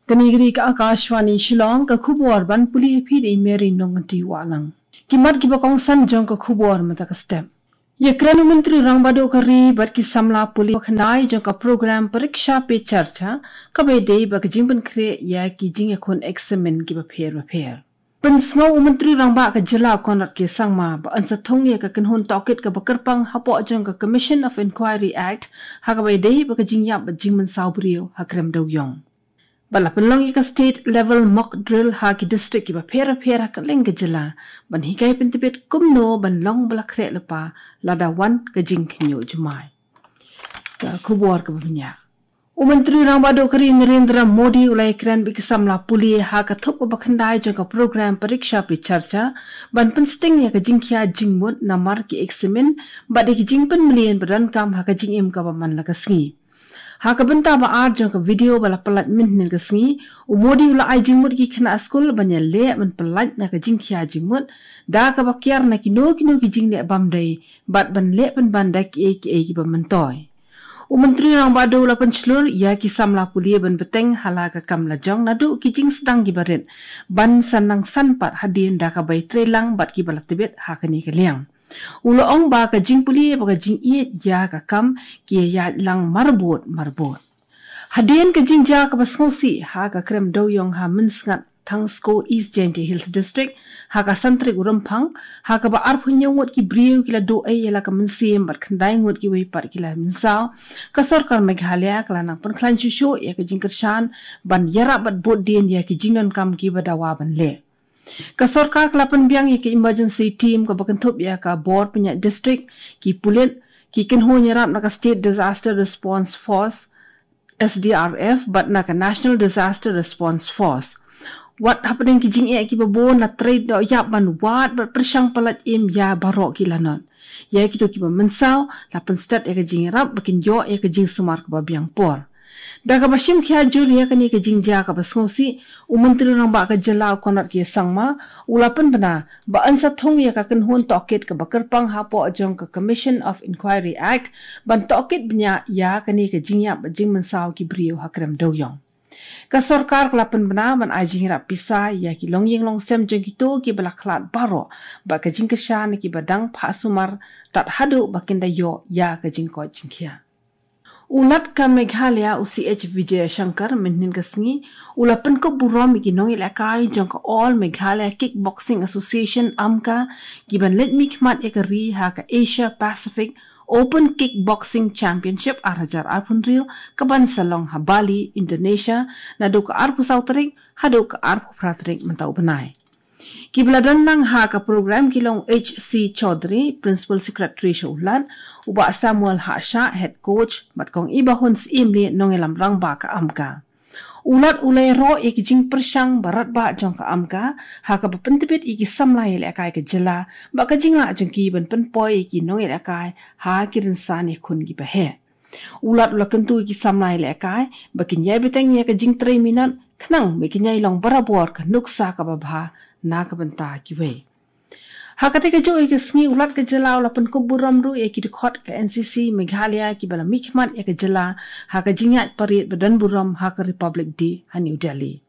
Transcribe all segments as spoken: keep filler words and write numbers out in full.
Kane ka dei ka Akashvani Shillong, ka khubor ban pule ïa phi da i Mary Nongti Wahlang. Ki mat kiba kongsan jong ka khubor mynta ka step. Ïakren u Myntri Rangbah Duh ka ri bad ki samla pule ba khyndai jong ka program Pariksha Pe Charcha, kaba ïadei bad ka jingpynkhreh ïa ki jingïakhun eksamin kiba pher bapher. Pynsngew u Myntri Rangbah ka jylla u Conrad K Sangma ba yn sa thung ïa ka kynhun tohkit kaba kyrpang hapoh jong ka Commission of Inquiry Act, ha kaba ïadei bad ka jingïap bad jingmynsaw briew ha Krem Dewïong. Ba la pynlong ïa ka state level mock drill ha ki district kiba pher bapher ha kylleng ka jylla, ban hikai pyntbit kumno ban long ba la khreh lypa lada wan ka jingkhynñiuh jumai. Ka khubor kaba bniah. U Myntri Rangbah Duh ka ri Narendra Modi u la ïakren bad ki samla pule ha ka thup kaba khyndai jong ka program Pariksha Pe Charcha, ban pynsting ïa ka jingkhia jingmut namar ki eksamin bad ïa ki jingpynmlien ba donkam ha ka jingim kaba man la ka sngi. Ha ka bynta ba ar jong ka video ba la pyllait mynhynnin ka sngi, u Modi u la ai jingmut ïa ki khynnah skul ban ïaleh ban pyllait na ka jingkhia jingmut, da kaba kiar na kino kino ki jingleh bym dei, bad ban leh pynban da kiei kiei kiba myntoi. U Myntri Rangbah Duh u la pynshlur ïa ki samla pule ban bteng ha la ka kam lajong naduh ki jingsdang kiba rit, ban sa nang san pat hadien da kaba ïatreilang bad kiba la tbit ha kane ka liang. U la ong ba ka jingpule bad ka jingïeit ïa ka kam ki ïaid lang marbud marbud. Hadien ka jingjia kaba sngewsih ha ka Krem Dewïong ha Mynsngat Thangsko East Jaintia Hills District, ha ka san tarik u Rymphang, ha kaba arphew hynñiew ngut ki briew ki la duh ei ïa la ka mynsiem bad khyndai ngut kiwei pat ki la mynsaw, ka sorkar Meghalaya ka la nang pynkhlaiñ shuh shuh ïa ka jingkyrshan ban ïarap bad bud dien ïa ki jingdonkam kiba dawa ban leh. Ka sorkar ka la pynbiang ïa ka emergency team kaba kynthup ïa ka bor pynïaid district, ki pulit, ki kynhun ïarap na ka State Disaster Response Force, S D R F, bad na ka National Disaster Response Force. Wat hapdeng ki jingeh kiba bun, la trei dohïap ban wad bad pyrshang pyllait im ïa baroh ki lanot. Ïa kito kiba mynsaw, la pynstet ïa ka jingïarap ba kin ïoh ïa ka jingsumar kaba biang por. Da kaba shim khia jur ïa kane ka jingjia kaba sngewsih, u Myntri Rangbah ka jylla u Conrad K Sangma u la pynbna ba yn sa thung ïa ka kynhun tohkit kaba kyrpang hapoh jong ka Commission of Inquiry Act, ban tohkit bniah ïa kane ka jingïap bad jingmynsaw ki briew ha Krem Dewïong. Ka sorkar ka la pynbna ban ai jingïarap pisa ïa ki longïing longsem jong kito kiba la khlad baroh bad ka jingkyrshan ïa kiba dang phah sumar tad haduh ba kin da ïoh ïa ka jingkoit jingkhiah. U Lat ka Meghalaya u C H Vijayashankar mynhynnin ka sngi u la pynkup burom ïa ki nongïalehkai jong ka All Meghalaya Kickboxing Association, AMKA, kiban leit mihkhmat ïa ka ri ha ka Asia Pacific Open Kickboxing Championship ar hajar arphew hynriew, kaban sa long ha Bali, Indonesia, naduh ka arphew saw tarik haduh ka arphew phra tarik mynta u bnai. Kiba la don lang ha ka program ki long H C Chaudhary, Principal Secretary sha u Lat, u Bah Samuel Hashah, Head Coach, bad Kong Ibahun Syiemlieh, nongïalam rangbah ka AMKA. U Lat u la ïaroh ïa ki jingpyrshang ba radbah jong ka AMKA, ha kaba pyntbit ïa ki samla ïalehkai ka jylla, bad ka jinglah jong ki ban pynpoi ïa ki nongïalehkai ha ki rynsan ïakhun kiba heh. U Lat u la kyntu ïa ki samla ïalehkai ba kin ïai bteng ïa ka jingtrei minot, khnang ba kin ïai long barabor ka nuksa kaba bha na ka bynta kiwei. Ha katei kajuh ïa ka sngi u Lat ka jylla u la pynkup burom ruh ïa ki dkhot ka N C C Meghalaya kiba la mihkhmat ïa ka jylla ha ka jingïaid parade ba don burom ha ka Republic Day ha New Delhi.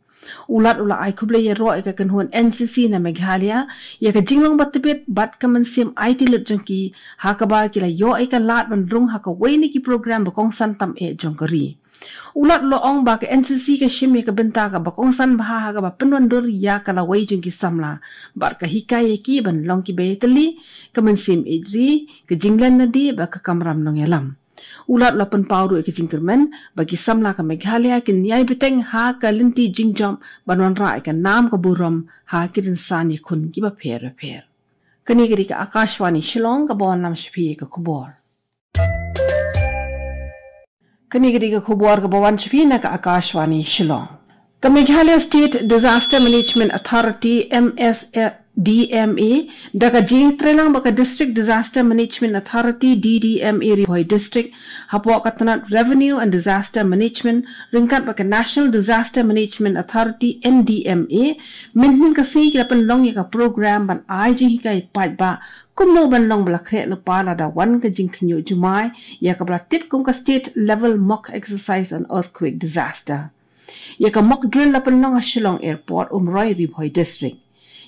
U Lat u la ai khublei ïaroh ïa ka kynhun N C C na Meghalaya ïa ka jinglong ba tbit bad ka mynsiem aiti lut jong ki, ha kaba ki la ïoh ïa ka lad ban rung ha kawei na ki program ba kongsan tam eh jong ka ri. U Lat u la ong ba ka N C C ka shim ïa ka bynta kaba kongsan bha ha kaba pynwandur ïa ka lawei jong ki samla, bad ka hikai ïa ki ban long kiba ïatylli, ka mynsiem ïeit ri, ka jinglen lade bad ka kamram nongïalam. U Lat u la pynpaw ruh ïa ka jingkyrmen ba ki samla ka Meghalaya kin ïai bteng ha ka lynti jingjop ban wanrah ïa ka nam ka burom ha ki rynsan ïakhun kiba pher bapher. Kane ka dei ka Akashvani Shillong kaba wanlam sha phi ïa ka khubor. Kane ka dei ka khubor kaba wan sha phi na ka Akashvani Shillong. Ka Meghalaya State Disaster Management Authority, M S A, D M A, da ka jingtreilang bad ka District Disaster Management Authority, D D M A Ri Bhoi District, hapoh ka tnat Revenue and Disaster Management, ryngkat bad ka National Disaster Management Authority, N D M A, mynhynnin ka sngi ki la pynlong ïa ka program ban ai jinghikai paidbah kumno ban long ba la khreh lypa lada wan ka jingkhynñiuh jumai, ïa kaba la tip kum ka State Level Mock Exercise on Earthquake Disaster. Ïa ka mock drill la pynlong ha Shillong Airport, Umroi, Ri Bhoi District.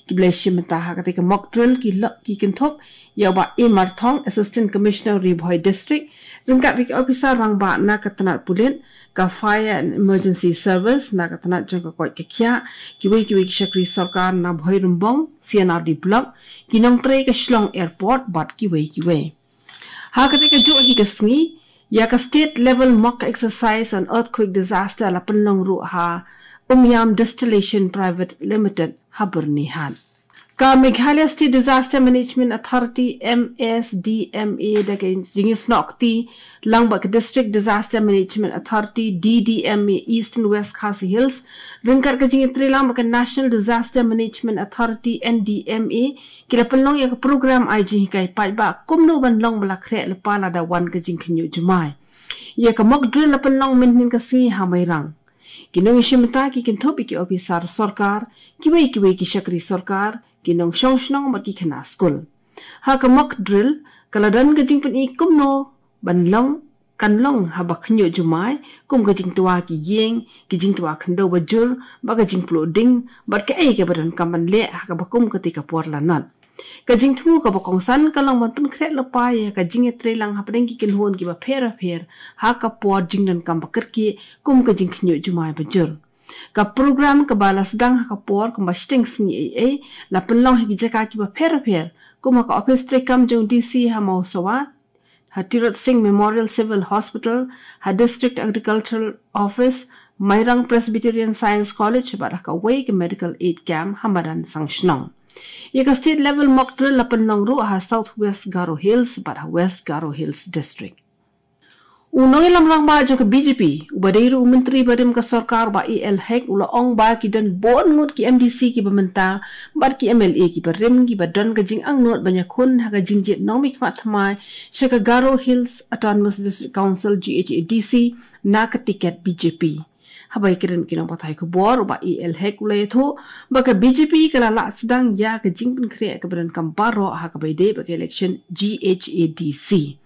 Ki ba la ïashim bynta ha katei ka mock drill ki la, ki kynthup ïa u Bah A Marthong, Assistant Commissioner, Ri Bhoi District, ryngkat bad ki officer rangbah na ka tnat pulit, ka Fire and Emergency Service, na ka tnat jong ka koit ka khiah, kiwei kiwei ki shakri sorkar na Bhoirymbong C and R D Block, ki nongtrei ka Shillong Airport bad kiwei kiwei. Ha katei kajuh hi ka sngi, ïa ka State Level Mock Exercise on Earthquake Disaster la pynlong ruh ha Umiam Distillation Private Limited ha Byrnihat. Ka Meghalaya State Disaster Management Authority, M S D M A, da ka jingïasnoh kti lang bad ka District Disaster Management Authority, D D M A, East and West Khasi Hills, ryngkat ka jingïatreilang bad ka National Disaster Management Authority, N D M A, ki la pynlong ïa ka program ai jinghikai paidbah kumno ban long ba la khreh lypa lada wan ka jingkhynñiuh jumai. Ïa ka mock drill la pynlong mynhynnin ka sngi ha Mairang. Ki nongïashim bynta ki kynthup ïa ki officer sorkar, kiwei kiwei ki shakri sorkar, ki nongshong shnong bad ki khynnah skul. Ha ka mock drill, ka la don ka jingpyni kumno ban long, kan long haba khynñiuh jumai, kum ka jingtwa ki ïing, ki jingtwa khyndew ba jur, bad ka jingpluh ding, bad kaei kaba donkam ban leh ha kaba kum katei ka por lanot. Ka jingthmu kaba kongsan ka long ban pynkhreh lypa ïa ka jingïatreilang hapdeng ki kynhun kiba pher bapher ha ka por jingdonkam ba kyrkieh kum ka jingkhynñiuh jumai ba jur. Ka program kaba la sdang ha ka por kumba shiteng sngi eiei la pynlong ha ki jaka kiba pher bapher, kum ha ka ophis treikam jong D C ha Mawsawa, ha Tirot Singh Memorial Civil Hospital, ha District Agricultural Office, Mairang Presbyterian Science College bad ha kawei ka medical aid camp ha madan Sangshnong. Ïa ka state level mock drill la pynlong ruh ha South West Garo Hills bad ha West Garo Hills District. U nongïalam rangbah jong ka B J P, uba dei ruh u Myntri barim ka sorkar, Bah A L Hek, u la ong ba ki don bun ngut ki M D C kiba mynta bad ki M L A kiba rim kiba don ka jingangnud ban ïakhun ha ka jingjied nongmihkhmat thymmai sha ka Garo Hills Autonomous District Council, G H A D C, na ka tiket B J P. Haba ïakren ki nongpathai khubor, u Bah A L Hek u la ïathuh ba ka B J P ka la lah sdang ïa ka jingpynkhreh kaba donkam baroh ha kaba ïadei bad ka election G H A D C.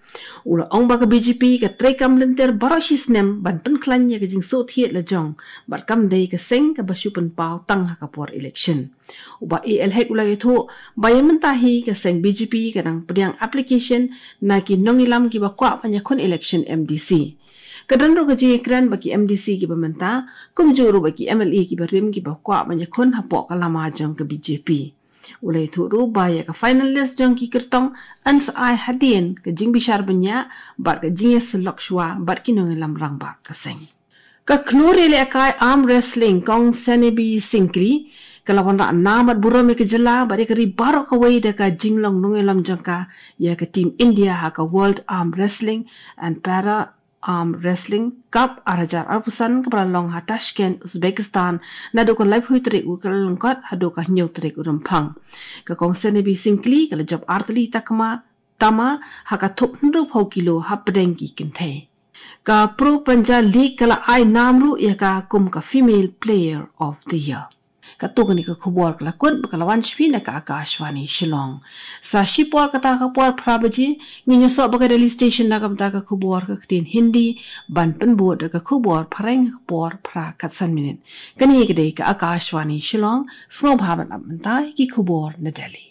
U la ong ba ka B J P ka treikam lynter baroh shi snem ban pynkhlaiñ ïa ka jingsngewthied la jong bad kam dei ka seng kaba shu pynpaw tang ha ka por election. U Bah A L Hek u la ïathuh ba ïa mynta hi ka seng B J P ka dang pdiang application na ki nongïalam kiba kwah ban ïakhun election M D C. Ka don ruh ka jingïakren ba ki M D C kiba mynta, kumjuh ruh ba ki M L A kiba rim kiba kwah ban ïakhun hapoh ka lama jong ka B J P. U la ïathuh ruh ba ïa ka final list jong ki kyrtong yn sa ai hadien ka jingbishar bniah bad ka jingïasyllok shuwa bad ki nongïalam rangbah ka seng. Ka khlur ïalehkai arm wrestling Kong Senebi Syngkli ka la wanrah nam bad burom ïa ka jylla bad ïa ka ri baroh kawei da ka jinglong nongïalam jong ka ïa ka team India ha ka World Arm Wrestling and Para Arm Wrestling Cup ar hajar arphew san kaba la long ha Tashkent, Uzbekistan, naduh ka laiphew tarik u Kyllalyngkot haduh ka hynñiew tarik u Rymphang. Ka Kong Senebi Syngkli ka la jop artylli takma tama ha ka thup hynriewphew kilo hapdeng ki kynthei. Ka Pro Panja League ka la ai nam ruh ïa ka kum ka Female Player of the Year. Katto katne ka khubor ka la kut bad ka la wan sha phi na ka Akashvani Shillong. Sa shipor kata ka por phra baje, ngin ïasoh bad ka Delhi Station na ka bynta ka khubor ka ktien Hindi, ban pynbud da ka khubor phareng ka por phra khatsan minit. Kane ka dei ka Akashvani Shillong, sngewbha ban ap mynta ki khubor na Delhi.